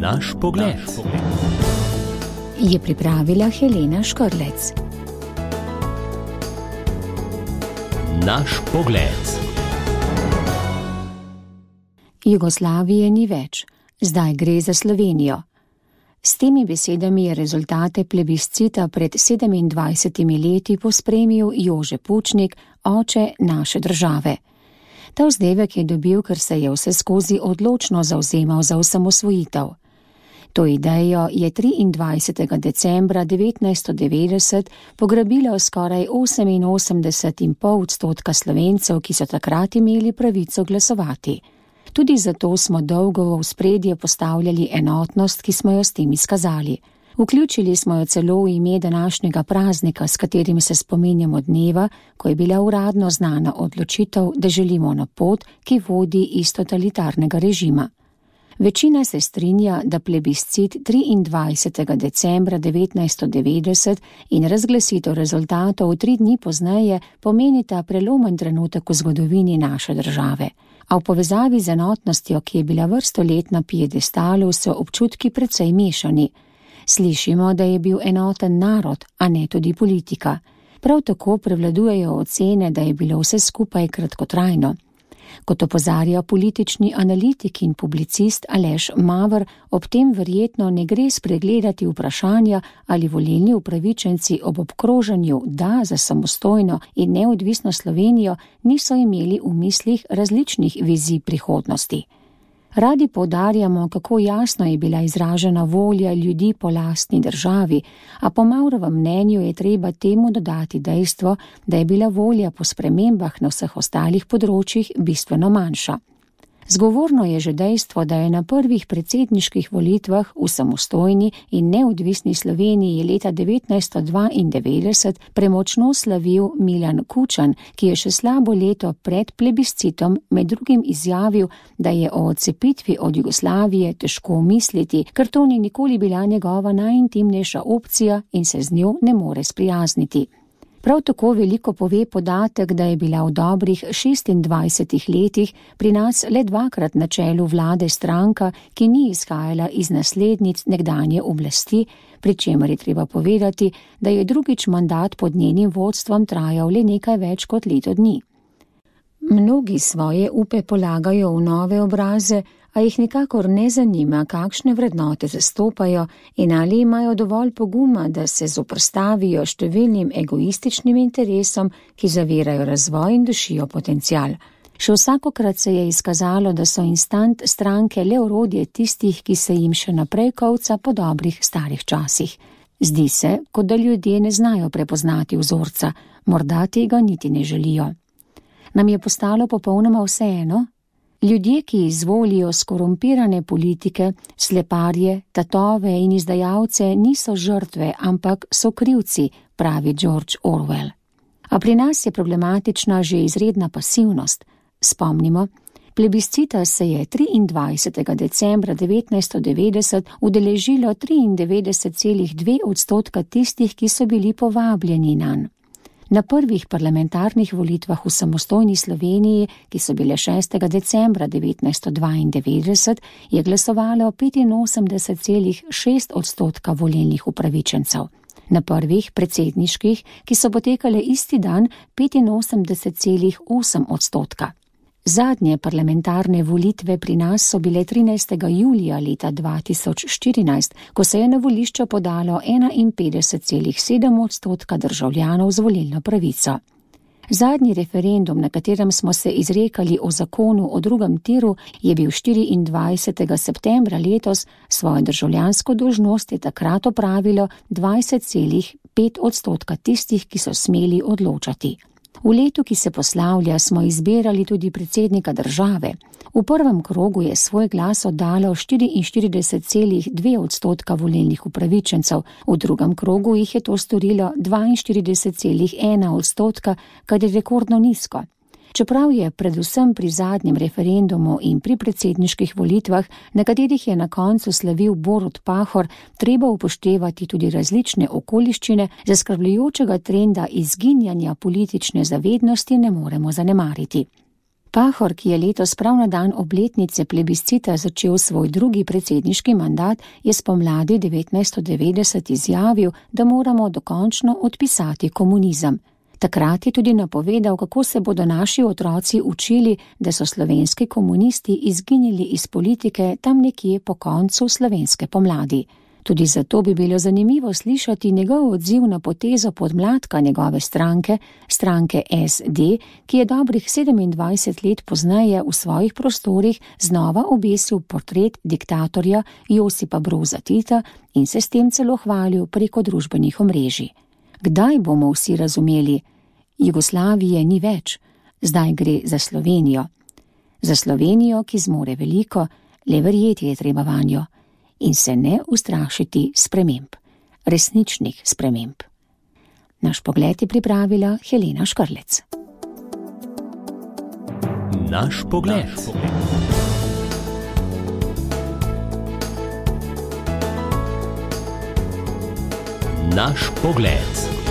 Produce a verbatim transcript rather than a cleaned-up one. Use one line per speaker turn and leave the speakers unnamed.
Naš pogled.
Je pripravila Helena Škrlec.
Naš pogled.
Jugoslavije ni več, zdaj gre za Slovenijo. S temi besedami je rezultate plebiscita pred sedemindvajsetimi leti pospremil Jože Pučnik, oče naše države. Ta vzdevek je dobil, ker se je vseskozi odločno zavzemal za osamosvojitev. To idejo je triindvajsetega decembra devetnajststo devetdeset pograbilo skoraj oseminosemdeset celih pet odstotka Slovencev, ki so takrat imeli pravico glasovati. Tudi zato smo dolgo v ospredje postavljali enotnost, ki smo jo s tem izkazali. Vključili smo jo celo v ime današnjega praznika, s katerim se spominjamo dneva, ko je bila uradno znana odločitev, da želimo na pot, ki vodi iz totalitarnega režima. Večina se strinja, da plebiscit triindvajsetega decembra devetnajststo devetdeset in razglasitev rezultatov tri dni pozneje pomenita prelomen trenutek v zgodovini naše države. A v povezavi z enotnostjo, ki je bila vrsto let na piedestalu, so občutki precej mešani. Slišimo, da je bil enoten narod, a ne tudi politika. Prav tako prevladujejo ocene, da je bilo vse skupaj kratkotrajno. Kot opozarja politični analitik in publicist Aleš Maver, ob tem verjetno ne gre spregledati vprašanja, ali volilni upravičenci ob obkrožanju da za samostojno in neodvisno Slovenijo niso imeli v mislih različnih vizij prihodnosti. Radi poudarjamo, kako jasno je bila izražena volja ljudi po lastni državi, a po Mavrovem mnenju je treba temu dodati dejstvo, da je bila volja po spremembah na vseh ostalih področjih bistveno manjša. Zgovorno je že dejstvo, da je na prvih predsedniških volitvah v samostojni in neodvisni Sloveniji leta devetnajststo dvaindevetdeset premočno slavil Milan Kučan, ki je še slabo leto pred plebiscitom med drugim izjavil, da je o odcepitvi od Jugoslavije težko misliti, ker to ni nikoli bila njegova najintimnejša opcija in se z njo ne more sprijazniti. Prav tako veliko pove podatek, da je bila v dobrih šestindvajsetih letih pri nas le dvakrat na čelu vlade stranka, ki ni izhajala iz naslednic nekdanje oblasti, pri čemer je treba povedati, da je drugič mandat pod njenim vodstvom trajal le nekaj več kot leto dni. Mnogi svoje upe polagajo v nove obraze, a jih nikakor ne zanima, kakšne vrednote zastopajo in ali imajo dovolj poguma, da se zoprstavijo številnim egoističnim interesom, ki zavirajo razvoj in dušijo potencial. Še vsakokrat se je izkazalo, da so instant stranke le orodje tistih, ki se jim še naprej kovca po dobrih starih časih. Zdi se, kot da ljudje ne znajo prepoznati vzorca, morda tega niti ne želijo. Nam je postalo popolnoma vseeno? Ljudje, ki izvolijo skorumpirane politike, sleparje, tatove in izdajalce, niso žrtve, ampak so krivci, pravi George Orwell. A pri nas je problematična že izredna pasivnost. Spomnimo, plebiscita se je triindvajsetega decembra devetnajststo devetdeset udeležilo triindevetdeset celih dve odstotka tistih, ki so bili povabljeni nanj. Na prvih parlamentarnih volitvah v samostojni Sloveniji, ki so bile šestega decembra devetnajststo dvaindevetdeset, je glasovalo petinosemdeset celih šest odstotka volilnih upravičencev. Na prvih predsedniških, ki so potekale isti dan, petinosemdeset celih osem odstotka. Zadnje parlamentarne volitve pri nas so bile trinajstega julija leta dva tisoč štirinajst, ko se je na volišča podalo enainpetdeset celih sedem odstotka državljanov z volilno pravico. Zadnji referendum, na katerem smo se izrekali o zakonu o drugem tiru, je bil štiriindvajsetega septembra letos, svojo državljansko dolžnost je takrat opravilo dvajset celih pet odstotka tistih, ki so smeli odločati. V letu, ki se poslavlja, smo izbirali tudi predsednika države. V prvem krogu je svoj glas oddalo štiriinštirideset celih dve odstotka volilnih upravičencev, v drugem krogu jih je to storilo dvainštirideset celih ena odstotka, kar je rekordno nizko. Čeprav je predvsem pri zadnjem referendumu in pri predsedniških volitvah, na katerih je na koncu slavil Borut Pahor, treba upoštevati tudi različne okoliščine, zaskrbljujočega trenda izginjanja politične zavednosti ne moremo zanemariti. Pahor, ki je letos prav na dan obletnice plebiscita začel svoj drugi predsedniški mandat, je spomladi devetnajststo devetdeset izjavil, da moramo dokončno odpisati komunizem. Takrat je tudi napovedal, kako se bodo naši otroci učili, da so slovenski komunisti izginili iz politike tam nekje po koncu slovenske pomladi. Tudi zato bi bilo zanimivo slišati njegov odziv na potezo podmladka njegove stranke, stranke S D, ki je dobrih sedemindvajset let pozneje v svojih prostorih znova obesil portret diktatorja Josipa Broza Tita in se s tem celo hvalil preko družbenih omrežij. Kdaj bomo vsi razumeli? Jugoslavije ni več, zdaj gre za Slovenijo. Za Slovenijo, ki zmore veliko, le verjeti je treba vanjo. In se ne ustrašiti sprememb, resničnih sprememb. Naš pogled je pripravila Helena Škrlec.
Naš pogled. Naš pogled.